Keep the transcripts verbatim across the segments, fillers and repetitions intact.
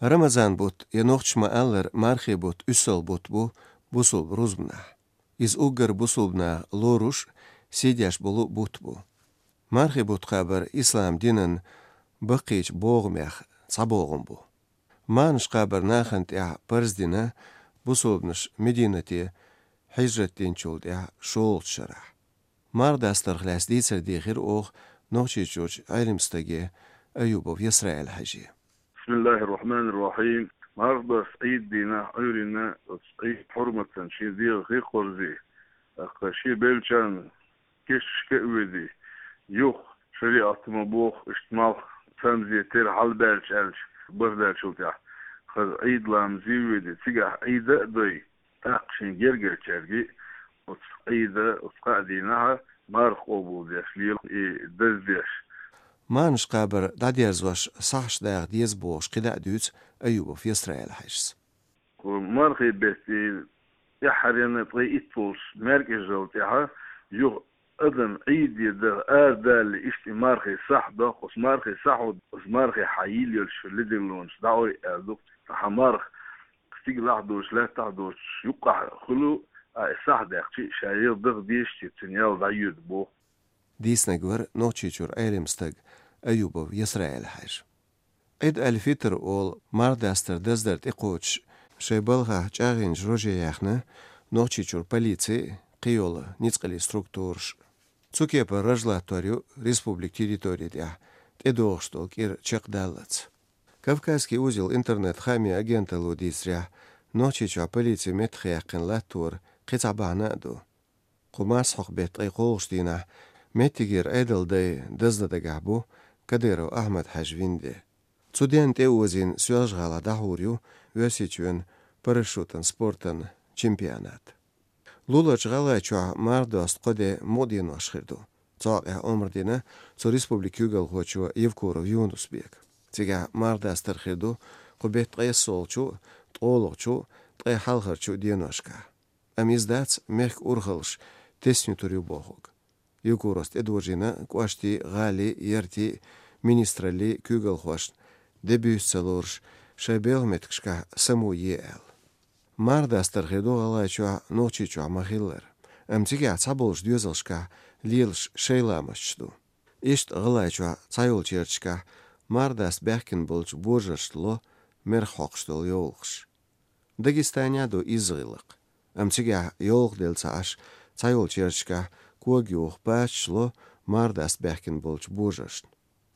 Рамазан бутт, я нохчаша ма-аллара, мархий бутт уьссал бутт бу бусалба рузбанехь. Иза уггар бусалба наха лоруш, сий деш болу бутт бу. Мархий бутт кхабар ислам динан баккхийчу богӀамех цхьа богӀам бу. Мархаш кхабар нахана тӀехь парз дина бусалбанаш Мединате хьижрат динчул тӀехь шолгӀачу шарахь. Марха дастарх лаьцна дийцар дийхира оха Нохчийчуьрчу Ӏелам стаге Аюбов Ясраил-Хьаьже. بسم الله الرحمن الرحيم. Марха доста Ӏийд дийнахь Ӏуьйранна оцу Ӏийд хьурматан шен дегӀах а кхорзий, тӀаккха шен беллачарна кешнашка а воьдий, юха шариӀат ма боху, иштта малх цамзе тера хьалабаьлча аьлча, бархӀ даьллачул тӀехь, хаза Ӏийд ламазе а воьдий, цигахь Ӏийда а дой, тӀаккха шен гергарчаьрга а оцу Ӏийда, оцу кхаа дийнахьа марха къобалдеш, лела и даздеш. Мархаш кхабар дӀадерзош сахьташ даха деза бохуш кхидӀа а дуьйцу Аюбов Ясраил-Хьаьжас. Кху мархий беттан тӀаьххьаренна ткъе итт волчу маьркӀажал тӀехьа юха адам Ӏийде даха арадалале иштта и мархий сахь доккху, оцу мархий сахьо, оцу мархий хьан йийла йолчу ледерлонаш дӀаой аьлла ду. Ткъа хьан марха стигалахь а доцуш, лаьттахь а доцуш, юккъахь хуьлу, а и сахь даьккхича, ша ял даха дезаш, цуьнан ял дӀайоьду боху. Дийцинарг вара Нохчийчуьра Ӏелам стаг Аюбов Ясраил-Хьаьжа. Ӏид аль-Фитр олу марха дастар даздар тӀекхочуш, шайн балхахь чӀагӀйинчу роже яьхна Нохчийчуьра полици а, кхийолу ницкъаллин структураш а. Цу кепара раж латтор ю республикан территори тӀехь тӀедогӀуш долу кӀира чекхдаллалц. «Кавказский узел» интернет-хаамийн агенталло дийцарехь, Нохчийчохь полици меттахъяьккхина латтор кхин цхьа бахьана а ду. Кху марсхьокху беттан ткъе кхоалгӀачу дийнахь меттигера Ӏедалан дай даздан дагахь бу Кадыров Ахьмад-Хьаьжин де. Цу денна тӀеозийна Соьлжа-ГӀалахь дӀахьур ю Оьрсийчоьнан парашютан спортан чемпионат. Луларчу ГӀалгӀайчохь марха доста кхо де мукъа денош хир ду. Цу хьокъехь омра дина цу республикан куьйгалхочо Евкуров Юнус-Бека. Цигахь марха дастар хир ду кху беттан ткъе иссалгӀачу, ткъолгӀачу, ткъе хьалхарчу деношкахь. Амма иза дац мехкан урхаллаш тесна юьтур ю бохург. Евкуровс тӀедожийна кӀоштийн, гӀалин, яртийн, министраллин куьйгалхошна, де буьйса ца лоруш, шайн белхан меттигашкахь самао е аьлла. Марха дастар хир ду ГӀалгӀайчохь, Нохчийчохь ма-хиллара, амма цигахь цхьаболчу доьзалшкахь лелаш шайн ламасташ ду. Иштта ГӀалгӀайчохь цхьайолчу ярташкахь марха даста баьхкина болчу божаршна ло мерах хьокхуш долу йовлахаш. Дагестанехь а ду изза гӀиллакх. Амма цигахь йовлах делла ца Ӏаш, цхьайолчу ярташкахь кога юха пачаш ло марха даста баьхкина болчу божаршна.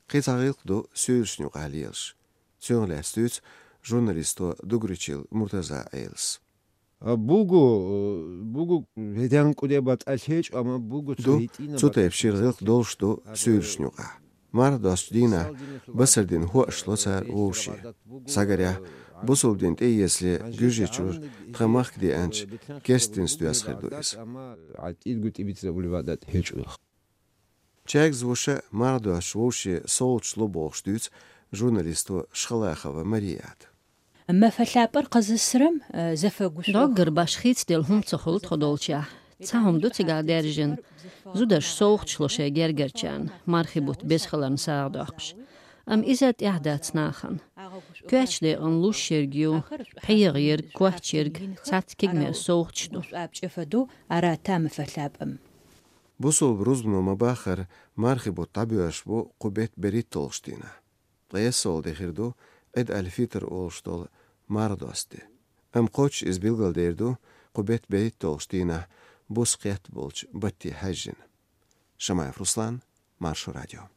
Кхин цхьа гӀиллакх ду суьйлашна юкъахь лелаш. Цунах лаьцна дуьйцу журналисто Дугричил Муртаза Ӏелас. А бугу, э, бугу ведан куде батӀа лъечӀу, амма бугу ду, цу хӀитӀина цу батӀа тайпа шира гӀиллакх долуш ду суьйлашна юкъахь. Марха достучу дийнахь басар дина хӀоаш ло цара вовше. Схьагарехь, бусалба дин тӀеэцале Гуьржийчуьра тхан махка деанчу керста динца доьзна хир ду иза. Чаьргаза вуша марха достуш вовше совгӀаташ ло бохуш дуьйцу журналисто Шхалахова Марията. Мафа лъапӀар кхазассарам, э, зафа гуш. Доггар баш хийцаделла хӀума ца хуьлу тхо долчехь. Цхьа хӀума ду цигахь даьржина. Зударша совгӀаташ ло шайн гергарчарна, мархий бутт беза хиларна сагӀа доккхуш. Амма иза тӀехь дац нахана. Коьртачу декъана луш ерг ю, пхьегӀа ерг, коч ерг, цхьацца кегамерса совгӀаташ ду. Бусалба рузбано ма-баххара, мархий бутт дӀабоьрзуш бу кху беттан берхӀитталгӀачу дийнахь. Ткъе иссалгӀа де хир ду Ӏид аль-Фитр олуш долу марха доста де. Амма кхоччуш иза билгалдер ду кху беттан берхӀитталгӀачу дийнахь буса кхетта болчу батте хьаьжжина. Шамаев Руслан, Маршо радио.